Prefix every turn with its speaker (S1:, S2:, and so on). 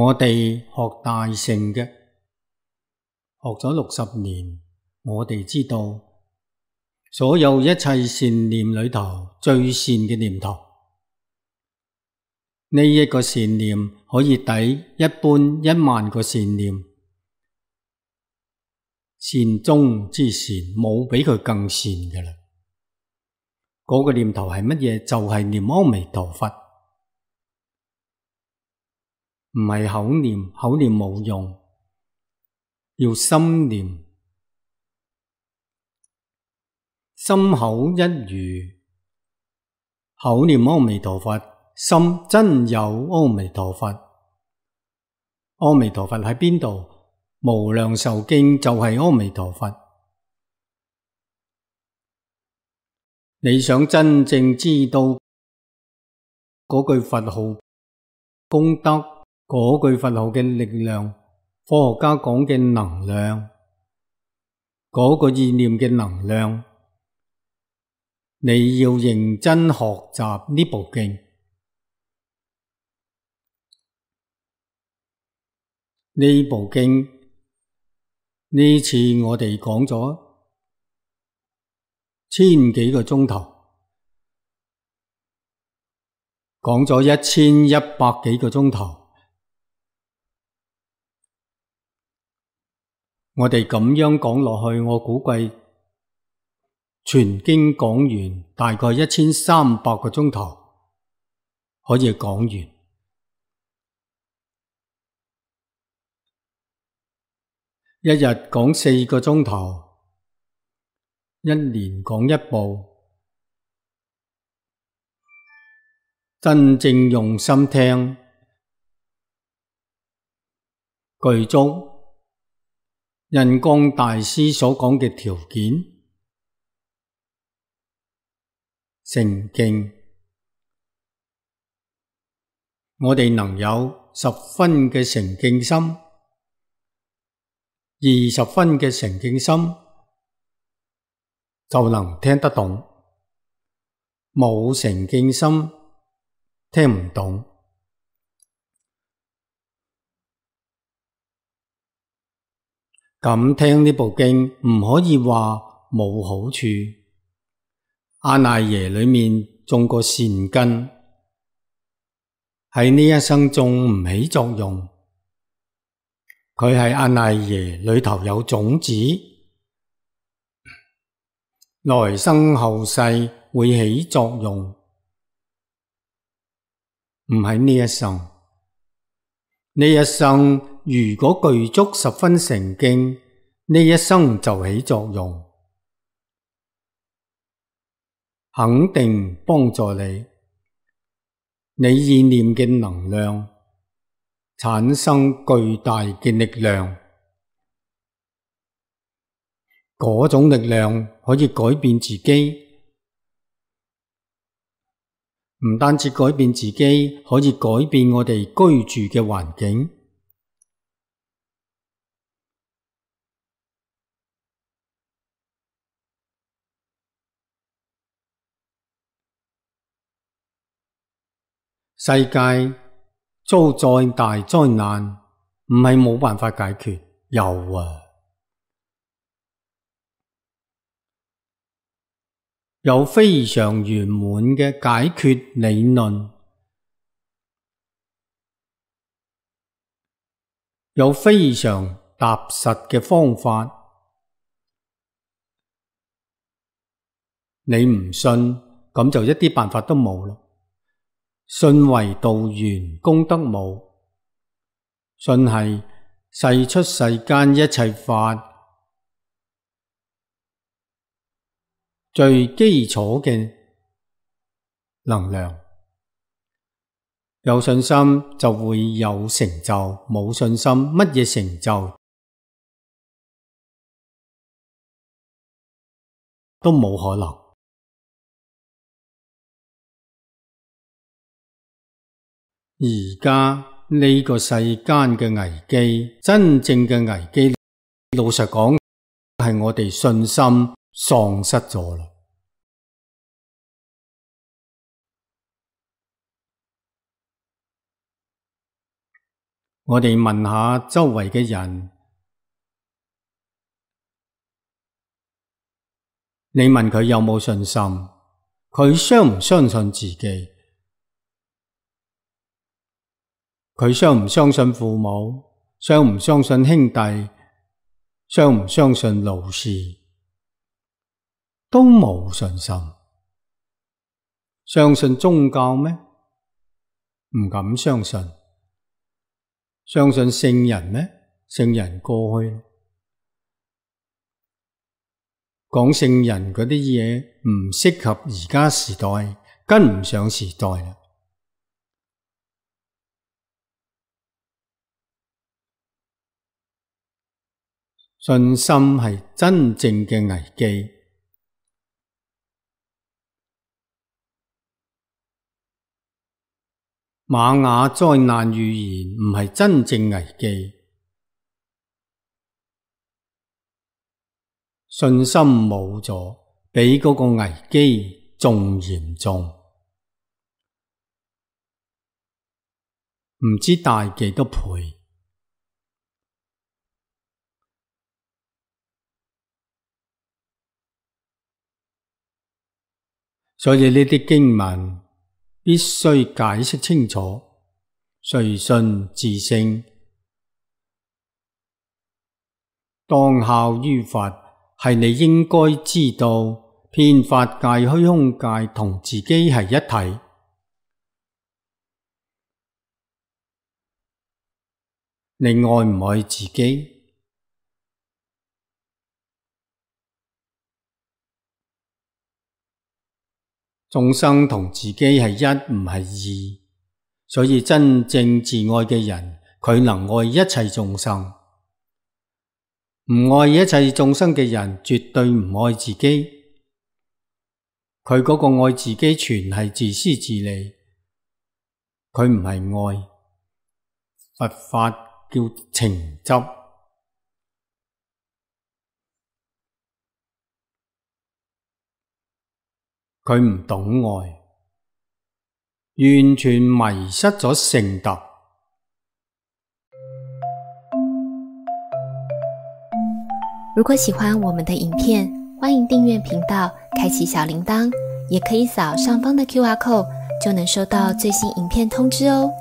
S1: 我哋學大乘嘅，學咗60年，我哋知道所有一切善念裏頭最善嘅念頭，呢一個善念可以抵一般10000個善念，善中之善，冇比佢更善嘅啦。嗰個念頭係乜嘢？就係念阿彌陀佛，唔係口念，口念冇用，要心念，心口一如，口念阿彌陀佛，心真有阿彌陀佛。阿彌陀佛喺邊度？無量壽經就係阿彌陀佛。你想真正知道嗰句佛號功德，嗰句佛號嘅力量，科學家講嘅能量，嗰個意念嘅能量，你要認真學習呢部經。呢部經呢次我哋講咗1000幾個鐘頭，講咗1100幾個鐘頭，我哋咁樣講落去，我估計全經講完大概1300個鐘頭可以講完。一日講4個鐘頭，一年講一部，真正用心聽，具足印光大師所講嘅條件，成敬，我哋能有10分嘅成敬心，20分嘅成敬心，就能聽得懂。冇成敬心，聽唔懂。咁聽呢部經唔可以話冇好處。阿賴耶裏面種個善根，喺呢一生種唔起作用。佢係阿賴耶裏頭有種子，來生後世會起作用，唔係呢一生。呢一生如果具足10分成敬，呢一生就起作用，肯定幫助你。你意念嘅能量產生巨大嘅力量，嗰種力量可以改變自己，唔單止改變自己，可以改變我哋居住嘅環境。世界遭再大災難，唔係冇辦法解決，有啊，有非常圓滿嘅解決理論，有非常踏實嘅方法。你唔信，咁就一啲辦法都冇啦。信為道源，功德無。信係世出世間一切法最基礎嘅能量。有信心就會有成就，冇信心乜嘢成就都冇可能。而家呢個世間嘅危機，真正嘅危機，老實講係我哋信心喪失咗啦。我哋問下周圍嘅人，你問佢有冇信心，佢相唔相信自己？佢相唔相信父母？相唔相信兄弟？相唔相信老師？都冇信心。相信宗教咩？唔敢相信。相信聖人咩？聖人過去。講聖人嗰啲嘢唔適合而家時代，跟唔上時代啦。信心係真正嘅危機。瑪雅災難預言唔係真正危機，信心冇咗，比嗰個危機仲嚴重，唔知大幾多倍。所以呢啲經文必須解釋清楚，隨信自性，當效於法，係你應該知道，遍法界、虛空界同自己係一體。你愛唔愛自己？眾生同自己係一，唔係二，所以真正自愛嘅人，佢能愛一切眾生。唔愛一切眾生嘅人，絕對唔愛自己。佢嗰個愛自己全係自私自利，佢唔係愛。佛法叫情執。佢唔懂愛，完全迷失咗聖德。
S2: 如果喜歡我們的影片，歡迎訂閱頻道，開啟小鈴鐺，也可以掃上方的QR code，就能收到最新影片通知哦。